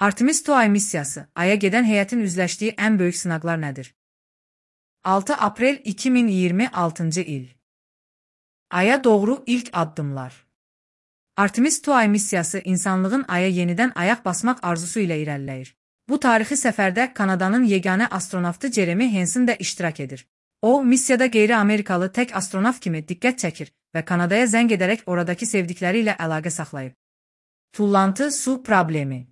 Artemis II ay missiyası, Ay'a gedən heyətin üzləşdiyi ən böyük sınaqlar nədir? 6 aprel 2026 il. Ay'a doğru ilk addımlar. Artemis II ay missiyası insanlığın Ay'a yenidən ayaq basmaq arzusu ilə irəliləyir. Bu tarixi səfərdə Kanadanın yeganə astronavtı Jeremy Hansen də iştirak edir. O, missiyada qeyri-Amerikalı tək astronavt kimi diqqət çəkir və Kanadaya zəng edərək oradakı sevdikləri ilə əlaqə saxlayıb. Tullantı su problemi.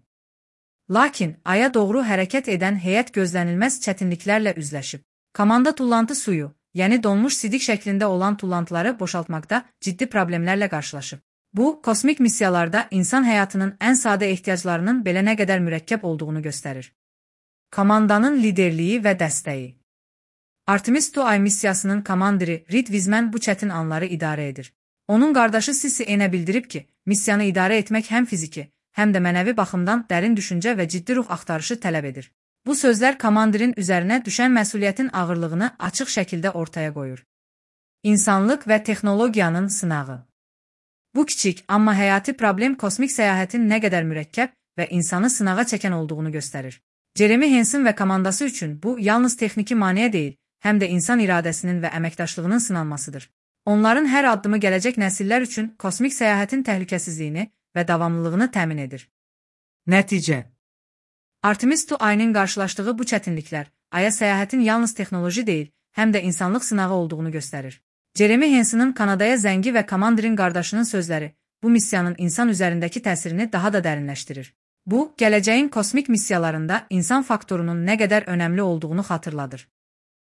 Lakin Ay'a doğru hərəkət edən heyət gözlənilməz çətinliklərlə üzləşib. Komanda tullantı suyu, yəni donmuş sidik şəklində olan tullantıları boşaltmaqda ciddi problemlərlə qarşılaşıb. Bu, kosmik missiyalarda insan həyatının ən sadə ehtiyaclarının belə nə qədər mürəkkəb olduğunu göstərir. Komandanın liderliyi və dəstəyi. Artemis II ay missiyasının komandiri Reed Wiseman bu çətin anları idarə edir. Onun qardaşı Sisi Enə bildirib ki, missiyanı idarə etmək həm fiziki, həm də mənəvi baxımdan dərin düşüncə və ciddi ruh axtarışı tələb edir. Bu sözlər komandirin üzərinə düşən məsuliyyətin ağırlığını açıq şəkildə ortaya qoyur. İnsanlıq və texnologiyanın sınağı. Bu kiçik, amma həyati problem kosmik səyahətin nə qədər mürəkkəb və insanı sınağa çəkən olduğunu göstərir. Jeremy Hansen və komandası üçün bu yalnız texniki maneə deyil, həm də insan iradəsinin və əməkdaşlığının sınanmasıdır. Onların hər addımı gələcək nəsillər üçün kosmik səyahətin təhlükəsizliyini və davamlılığını təmin edir. Nəticə. Artemis II ayının qarşılaşdığı bu çətinliklər, Ay'a səyahətin yalnız texnoloji deyil, həm də insanlıq sınağı olduğunu göstərir. Jeremy Hansen'ın Kanadaya zəngi və komandirin qardaşının sözləri bu missiyanın insan üzərindəki təsirini daha da dərinləşdirir. Bu, gələcəyin kosmik missiyalarında insan faktorunun nə qədər önəmli olduğunu xatırladır.